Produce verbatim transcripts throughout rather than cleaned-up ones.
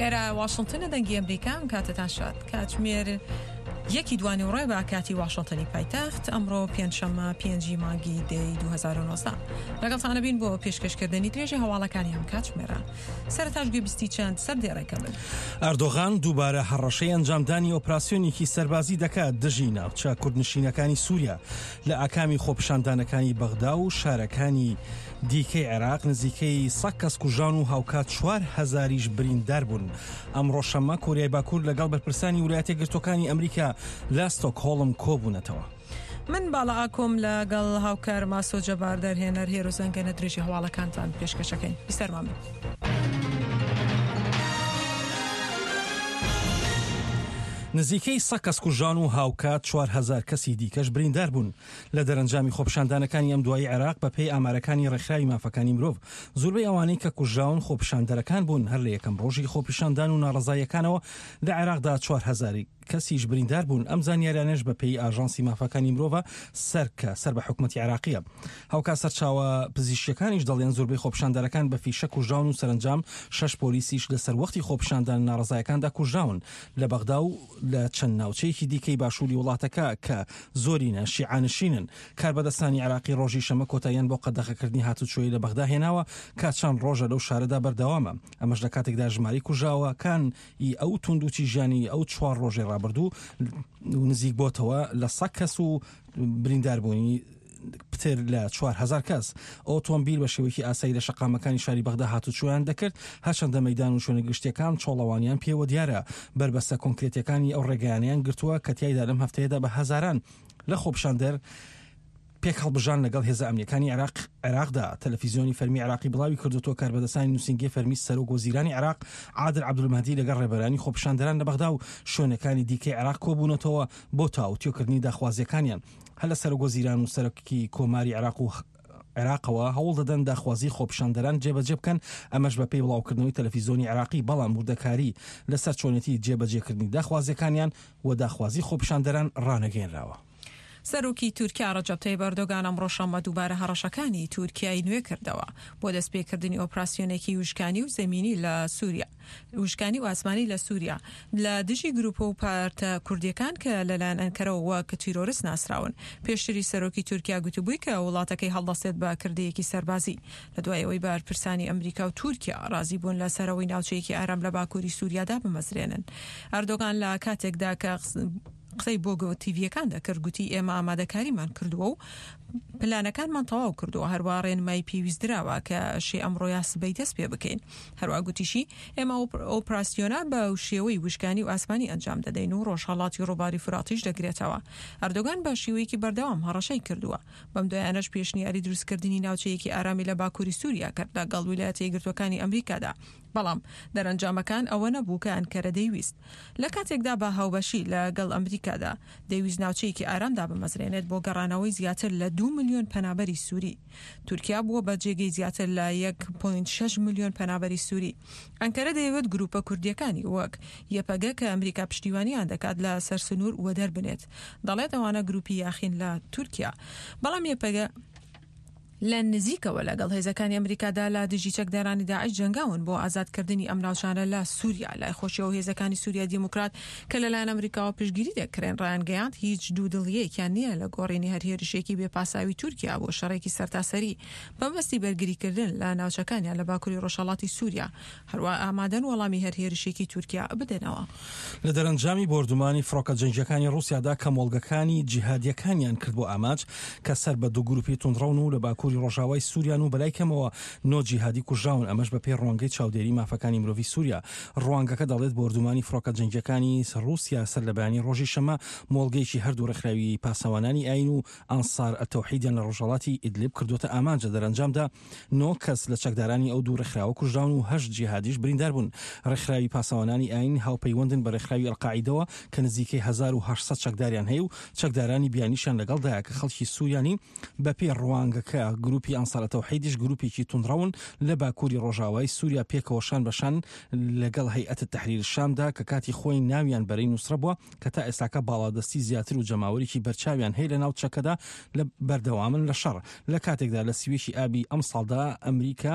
ئێرە واشنگتنە، دەنگی ئەمریکا. ئەم کاتەتان شاد. کاتژمێر یەکی دوانیوەڕۆی بە کاتی واشنگتنی پایتەخت. ئەمڕۆ پێنجشەممە پێنجی مانگی دەی دوو هەزار و نۆزدە لەگەڵتانە بین بۆ پێشکەشکردنی درێژی هەواڵەکانی ئەم کاتژمێرە. سەرەتاش گوێبیستی چەند سەردێڕێکە بن. ئەردۆغان دووبارە هەڕەشەی ئەنجامدانی ئۆپراسیۆنێکی سەربازی دەکات دژی ناوچە کوردنشینەکانی سووریا لە ئاکامی خۆپیشاندانەکانی بەغدا و شارەکانی دیکەی عێراق. نزیکەی سەد کەس کوژان و هاوکات چوار هەزاریش بریندار بوون. ئەمڕۆ شەممە کۆریای باکوور لەگەڵ بەرپرسانی ویلایەتە یەکگرتووەکانی ئەمریکا لە ستۆکهۆڵم کۆبوونەتەوە. من باڵا ئاکۆم لەگەڵ هاوکار ماسۆ جەبار دەرهێنەر هێرۆ زەنگەنە درێژی هەواڵەکانتان پێشکەشەکەین. بیسەرمان بن. نزیکەی سەد کەس کوژان و هاوکات چوار هەزار کەسی دیکەش بریندار بوون لە دەرەنجامی خۆپیشاندانەکانی ئەم دوایی عێراق. بەپێی ئامارەکانی ڕێکخراوی مافەکانی مرۆڤ، زۆربەی ئەوانەی کە کوژراون خۆپیشاندەرەکان بوون. هەر لە یەکەم ڕۆژی خۆپیشاندان و ناڕەزاییەکانەوە لە عێراقدا چوار هەزار کەسیش بریندار بوون. ئەم زانیاریانەش بەپێی ئاژانسی مافەکانی مرۆڤ سەر کە سەر بە حکوومەتی عێراقیە. هاوکات سەرچاوە پزیشکیەکانیش دەڵێن زۆربەی خۆپیشاندەرەکان بە فیشە کوژراون و سەرەنجام شەش پۆلیسیش لەسەر وەختی خۆپیشاندان ناڕەزایەکاندا کوژراون لە بەغدا و لە چەند ناوچەیەکی دیکەی باشووری وڵاتەکە کە زۆرینە شیعانشینن. کاربەدەستانی عێراقی ڕۆژی شەمە کۆتاییان بۆ قەدەغەکردنی هاتوچۆی لە بەغدا هێناوە کە چەند ڕۆژە لەو شارەدا بەردەوامە. ئەمەش لە کاتێکدا ژمارەی کوژراوەکان ئی ئەو توندوتیژیانی ئەو چوار ڕۆژەی ڕابردوو نزیک بۆتەوە لە سەد کەس و برینداربوونی پتر لە چوار هەزار کەس. ئۆتۆمبیل بە شێوەیەکی ئاسایی لە شەقامەکانی شاری بەغدا هاتوچۆیان دەکرد، هەرچەندە مەیدان و شوێنە گشتیەکان چۆڵەوانیان پێوە دیارە. بەربەستە کۆنکرێتیەکانی ئەو ڕێگەیانیان گرتووە کە تیایدا لەم هەفتەیەدا بە هەزاران لە خۆپیشاندەر پێک هەڵبژان لەگەڵ هێزە ئەمنیەکانی عێراق عێراقدا. تەلەفیزیۆنی فەرمی عێراقی بڵاوی کردوتەوە کاربەدەستانی نووسینگەی فەرمی سەرۆک وەزیرانی عێراق عادل عەبدولمەهدی لەگەڵ ڕێبەرانی خۆپیشاندەران لە بەغدا و شوێنەکانی دیکەی عێراق کۆبوونەتەوە بۆ تاوتوێکردنی داخوازیەکانیان. هەر لە سەرۆک وەزیران و سەرۆکی کۆماری عێراق و عێراقەوە هەوڵ دەدەن داخوازی خۆپیشاندەران جێبەجێ بکەن، ئەمەش بەپێی بڵاوکردنەوەی تەلەفیزیۆنی عێراقی، بەڵام وردەکاری لەسەر چۆنێتی جێبەجێکردنی داخوازیەکانیان و داخوازی خۆپیشاندەران ڕانەگەیەنراوە. سەرۆکی تورکیا ڕەجەب تەیب ئەردۆغان ئەمڕۆ شەممە دووبارە هەڕەشەکانی تورکیای نوێ کردەوە بۆ دەستپێکردنی ئۆپراسیۆنێکی وشکانی و زەمینی لە سووریا وشکانی و ئاسمانی لە سووریا لە دژی گروپ و پارتە کوردیەکان کە لەلایەن ئەنکەرەوە وەک تیرۆریست ناسراون. پێشتری سەرۆکی تورکیا گوتبووی کە وڵاتەکەی هەڵدەستێت بە کردەیەکی سەربازی لە دوای ئەوەی بەرپرسانی ئەمریکا و تورکیا ڕازی بوون لە سەرەوەی ناوچەیەکی ئارام لە باکووری سووریادا بمەزرێنن. ئەردۆغان لە کاتێکدا کە قسەی بۆ تیڤیەکان دەکرد گوتی ئێمە ئامادەکاریمان کردووە و پلانەکانمان تەواو کردووە، هەروە ڕێنمایی پێویست دراوە کە شێ ئەمڕۆ یا سبەی دەست پێ بکەین. هەروە گوتیشی ئێمە ئۆپراسیۆنا بە شێوەی وشکانی و ئاسمانی ئەنجام دەدەین و ڕۆژهەڵاتی ڕووباری فراتیش دەگرێتەوە. ئەردۆغان بە شێوەیەکی بەردەوام هەڕەشەی کردووە. بەم دوایانەش پێشنیاری دروستکردنی ناوچەیەکی ئارامی لە باکووری سووریا کرد لەگەڵ ویلایەتە یەکگرتووەکانی ئەمریکادا، بەڵام دەرەنجامەکان ئەوە نەبوو کە ئەنکەرە دەیویست. لە کاتێکدا بە هاوبەشی لەگەڵ ئەمریکادا دەیویست ناوچەیەکی ئارامدا بمەزرێنێت بۆ گەڕانەوەی زیاتر لە دوو ملیۆن پەنابەری سووری. تورکیا بووە بە جێگەی زیاتر لە یەک پۆینت شەش ملیۆن پەنابەری سووری. ئەنکەرە دەیەوێت گروپە کوردیەکانی وەک یەپەگە کە ئەمریکا پشتیوانیان دەکات لە سەر سنوور وەدەربنێت. دەڵێت ئەوانە گروپی یاخین لە تورکیا، بەڵام یەپەگە لە نزیکەوە لەگەڵ هێزەکانی ئەمریکادا لە دژی چەکدارانی داعش جەنگاون بۆ ئازادکردنی ئەم ناوچانە لە سووریا. لای خۆشیەوە هێزەکانی سووریا دیموکرات کە لەلایەن ئەمریکاوە پشتگیری دەکرێن ڕایانگەیاند هیچ دوو دڵیەکیان نییە لە گۆڕینی هەر هێرشێکی بێپاساوی تورکیا بۆ شەڕێکی سەرتاسەری بەمەبەستی بەرگریکردن لە ناوچەکانیان لە باکووری ڕۆژهەڵاتی سووریا. هەروە ئامادەن وەڵامی هەر هێرشێکی تورکیا بدەنەوە. لە دەرەنجامی بۆردومانی فڕۆکە جەنگیەکانی ڕووسیادا کە مۆڵگەکانی جیهادیەکانیان کرد بۆ ئامانج کە سەر بە دوو گروپی توندڕەون و لە باکووری ڕۆژاوای سووریان و بەلای کەمەوە نۆ جیهادی کوژراون، ئەمەش بەپێی ڕوانگەی چاودێری مافەکانی مرۆڤی سووریا. ڕوانگەکە دەڵێت بۆردومانی فڕۆکە جەنگیەکانی ڕووسیا سەر لە بەیانی ڕۆژی شەمە مۆڵگەیەکی هەردوو ڕێکخراوی پاسەوانانی ئاین و ئەنسار ئەتەوحیدیان لە ڕۆژهەڵاتی ئیدلیب کردووەتە ئامانجە. دەرەنجامدا نۆ کەس لە چەکدارانی ئەو دوو ڕێکخراوە کوژراون و هەشت جیهادیش بریندار بوون. ڕێکخراوی پاسەوانانی ئاین هاوپەیوەندن بە ڕێکخراوی ئەلقاعیدەوە کە نزیکەی هەزار و هەشت سەد چەکداریان هەیە و چەکدارانی بیانیشیان لەگەڵدایە کە خەڵکی سووریانی. بەپێی ڕوانگەکە گروپی ئەنسار تەوحیدیش گروپێکی توندڕەون لە باکووری ڕۆژاوای سووریا پێکەوە شان بە شان لەگەڵ هەیئەت تەحریر شامدا کە کاتی خۆی ناویان بەرەی نوسرە بووە کە تا ئێستاکە باڵادەستی زیاتر و جەماوەرێکی بەرچاویان هەیە لە ناوچەکەدا لە بەردەوامن لە شەڕ. لە کاتێکدا لە سیوێکی ئابی ئەم ساڵدا ئەمریکا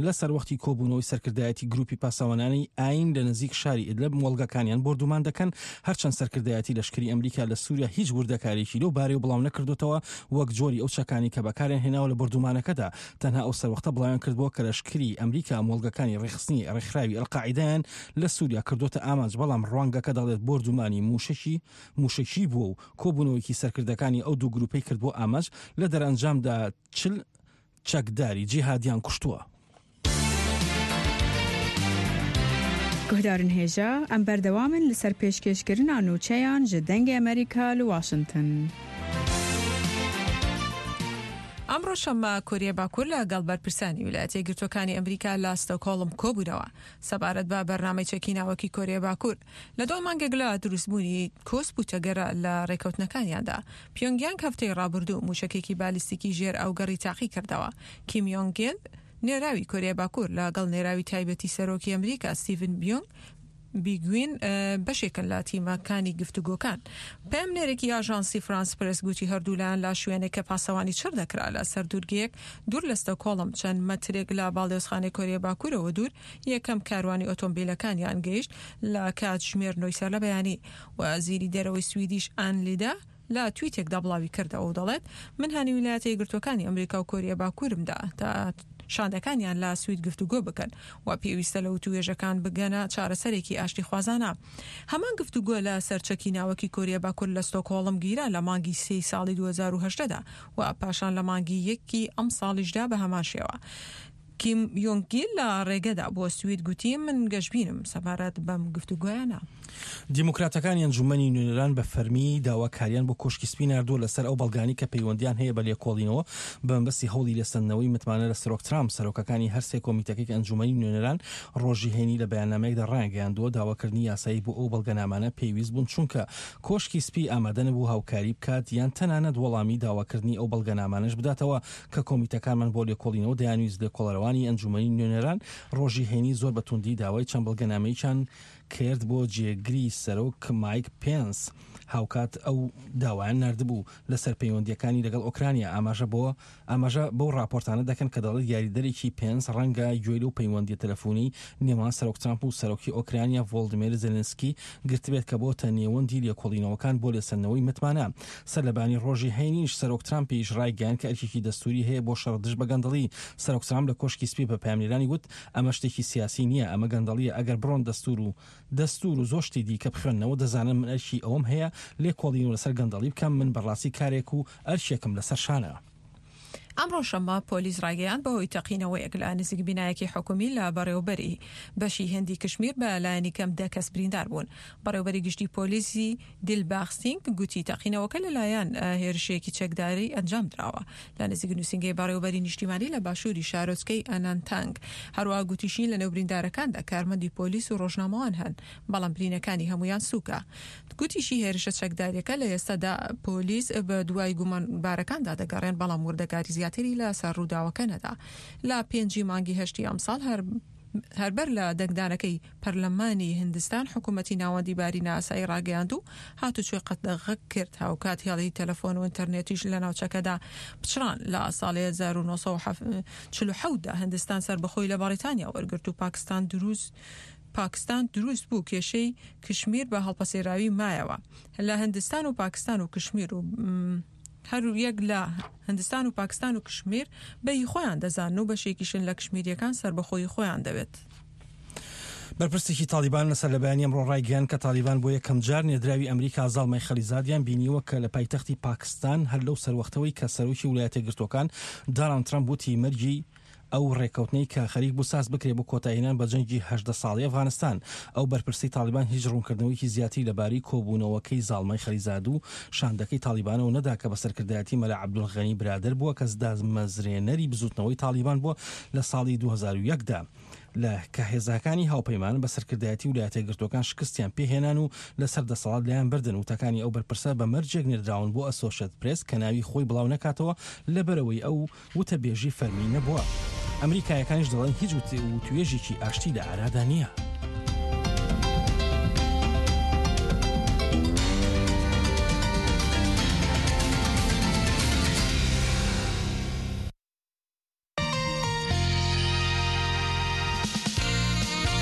لە سەروەختی کۆبوونەوەی سەرکردایەتی گروپی پاسەوانانی ئاین لە نزیک شاری ئیدلب مۆڵگەکانیان بۆردومان دەکەن. هەرچەند سەرکردایەتی لەشکری ئەمریکا لە سووریا هیچ وردەکارێکی لەو بارەیەوە بڵاو نەکردوتەوە، وەک جۆری ئەو چەکانی کە بەکاریان هێناوە لە بۆردومانەکەدا. تەنها ئەو سەروەختە بڵاویان کردبووە کە لەشکری ئەمریکا مۆڵگەکانی ڕێکخستنی ڕێکخراوی ئەلقاعیدەیان لە سووریا کردوتە ئامانج، بەڵام ڕوانگەکە دەڵێت بۆردومانی موشکی موشکی بووە و کۆبوونەوەیەکی سەرکردەکانی ئەو دوو گروپەی کردبووە ئامانج، لە دەرەنجامدا چل چەکداری جیهادیان کوشتووە. گوهدارن هێژا ئەم بەردەوامن لەسەر پێشکێشکردنا نوچەیان ji دەنگê ئەمریکا لە واشنگتن. ئەمڕۆ شەممە کۆریای باکوور لەگەڵ بەرپرسانی ویلایەتە یەکگرتووەکانی ئەمریکا لە ستۆکهۆڵم کۆبوونەوە سەبارەت بە بەرنامەی چەکی ناوەکی کۆریای باکوور. لە دوای مانگێک لە دروستبوونی کۆسپ و تەگەرە لە ڕێکەوتنەکانیاندا، پیۆنگیانگ هەفتەی ڕابردوو موشەکێکی بالیستیکی ژێر ئاوگەڕی تاقی کردەوە. کیم یۆنگ گیل نێراوی کۆریای باکوور لەگەڵ نێراوی تایبەتی سەرۆکی ئەمریکا ستیڤن بیۆنگ بیگوین بەشێکن لە تیمەکانی گفتوگۆکان. پەیامنێرێکی ئاژانسی فرانس پرس گوتی هەردوولایان لە شوێنێک کە پاسەوانی چڕ دەکرا لە سەر دوورگەیەک دوور لە ستۆکهۆڵم چەند مەترێک لە باڵیۆزخانەی کۆریای باکوورەوە دوور یەکەم کاروانی ئۆتۆمبیلەکانیان گەیشت لە کاتژمێر نۆی سەر لە بەیانی. وەزیری دەرەوەی سویدیش ئان لیدا لە تویتێکدا بڵاوی کردەوە و دەڵێت من هانی ویلایەتە یەکگرتووەکانی ئەمریکا و کۆریای باکوورمدا تا شاندەکانیان لە سوید گفتوگۆ بکەن و پێویستە لە وتوێژەکان بگەنە چارەسەرێکی ئاشتیخوازانە. هەمان گفتوگۆ لە سەرچەکی ناوەکی کۆریای باکوور لە ستۆکهۆڵم گیرا لە مانگی سێی ساڵی دوو هەزار و هەژدە دا و پاشان لە مانگی یەکی ئەم ساڵیشدا بە هەمان شێوە. کیم یۆنگ گیل لە ڕێگەدا بۆ سوید گوتی من گەشبینم سەبارەت بەم گفتوگۆیانە. دیموکراتەکانی ئەنجومەنی نوێنەران بە فەرمی داواکاریان بۆ کۆشکی سپی ناردووە لەسەر ئەو بەڵگانی کە پەیوەندیان هەیە بە لێکۆڵینەوە بە مەبەستی هەوڵی لێسەندنەوەی متمانە لە سەرۆک ترامپ. سەرۆکەکانی هەر سێ کۆمیتەکەی ئەنجومەنی نوێنەران ڕۆژی هەینی لە بەیاننامەیەکدا ڕایانگەیاندووە داواکردنی یاسایی بۆ ئەو بەڵگەنامانە پێویست بوون، چونکە کۆشکی سپی ئامادە نەبوو هاوکاری بکات یان تەنانەت وەڵامی داواکردنی ئەو بەڵگەنامانەش بداتەوە کە کۆمیتەکانمان بۆ لێکۆڵینەوە دەیانویست. لێکۆڵەرەوانی ئەنجومەنی نوێنەران ڕۆژی هەینی زۆر بە توندی داوای چەند بەڵگەنامەیەکیان کرد بۆ جێگری سەرۆک مایک پێنس. هاوکات ئەو داوایان نردبوو لەسەر پەیوەندیەکانی لەگەڵ ئۆکرانیا. ئاماژە بۆ ئاماژە بەو راپۆرتانە دەکەن کە دەڵێت یاریدەرێکی پێنس ڕەنگە گوێی لەو پەیوەندیە تەلەفۆنی نێوان سەرۆک ترامپ و سەرۆکی ئۆکرانیا ڤۆلدیمیر زێلێنسکی گرتبێت کە بۆتە نێوەندی لێکۆڵینەوەکان بۆ لێسەندنەوەی متمانە. سەر لەبانی ڕۆژی هەینیش سەرۆک ترامپیش ڕایگەیاند کە ئەرکێکی دەستوری هەیە بۆ شەڕ دژ بە گەندەڵی. سەرۆک ترامپ لە کۆشکی سپی بە پەیامنێرانی گوت ئەمە شتێکی سیاسی نییە، ئەمە گەندەڵیە، ئەگەر بڕۆن دەستور و دەستور و زۆر شتی دیکە بخوێننەوە دەزانن من ئەرکی ئەوەم هەیە لێکۆڵینەوە لەسەر گەندەڵی بکەم، من بەڕاستی کارێک و ئەرکێکم لەسەر شانە. ئەمڕۆ شەممە پۆلیس ڕایگەیاند بەهۆی تەقینەوەیەک لە نزیک بینایەکی حکومی لە بەڕێوبەری بەشی هندی کشمیر بە لایەنی کەم دە کەس بریندار بوون. بەڕێوبەری گشتی پۆلیسی دیلباغ سینگ گوتی تەقینەوەکە لەلایەن هێرشێکی چەکداری ئەنجام دراوە لە نزیک نووسینگەی بەڕێوبەری نیشتیمانی لە باشووری شارۆچکەی ئەنانتانگ. هەروەها گوتیشی لەنێو بریندارەکاندا کارمەندی پۆلیس و ڕۆژنامەوان هەن، بەڵام برینەکانی هەمویان سووکە. گوتیشی هێرشە چەکداریەکە لە ئێستادا پۆلیس بە دوای گومانبارەکاندا دەگەڕێن، بەڵام وردەکاری زیاتری لە سەر ڕووداوەکە نەدا. لە پێنجی مانگی هەشتی ئەمساڵ هەر هەربەر لە دەنگدانەکەی پەرلەمانی هندستان حکوومەتی ناوەندی باری ناسایی ڕاگەیاند و هاتوچۆی قەدەغە کرد. هاوکات هێڵی تەلەفۆن و ئینتەرنێتیش لە ناوچەکەدا پچڕان. لە ساڵی هەزار و نۆ سەد و چل و حەوت دا هندستان سەربەخۆی لە بەریتانیا وەرگرت و پاکستان دروست پاکستان دروست بوو. کێشەی کشمیر بە هەڵپەسێراوی مایەوە لە هندستان و پاکستان و کشمیر و هەر یەک لە هندستان و پاکستان و کشمیر بەهی خۆیان دەزانن و بەشێکیشن لە کشمیریەکان سەربەخۆی خۆیان دەوێت. بەرپرسێکی تالیبان لەسەر لە بەیانی ئەمڕۆ ڕایگەیاند کە تالیبان بۆ یەکەم جار نێردراوی ئەمریکا زاڵمای خەلیزادیان بینیوە کە لە پایتەختی پاکستان هەر لەو سەروەختەوەی کە سەرۆکی ویلایەتە یەکگرتووەکان دۆناڵد ترەمپ وتی مەرگی ئەو ڕێکەوتنەی کە خەریک بوو ساز بکرێ بۆ کۆتاییهێنان بە جەنگی هەژدە ساڵی ئەفغانستان. ئەو بەرپرسی تالیبان هیچ ڕوونکردنەوەیەکی زیاتری لەبارەی کۆبوونەوەکەی زاڵمای خەلیزاد و شاندەکەی تالیبانەوە نەدا کە بە سەرکردایەتی مەلا عەبدولغەنی برادەر بووە کە دامەزرێنەری بزوتنەوەی تالیبان بووە لە ساڵی دوو هەزار و یەک دا لە کە هێزەکانی هاوپەیمان بە سەرکردایەتی ویلایەتە یەکگرتووەکان شکستیان پێهێنان و لەسەر دەسەڵات لایان بردن. وتەکانی ئەو بەرپرسە بە مەرجێک نێردراون بۆ ئەسۆشێت پرێس کە ناوی خۆی بڵاو نەکاتەوە لەبەرەوەی ئەو وتەبێژی فەرمی نەبووە. ئەمریکایەکانیش دەڵێن هیچ وتوێژێکی ئاشتی لە ئارادا نییە.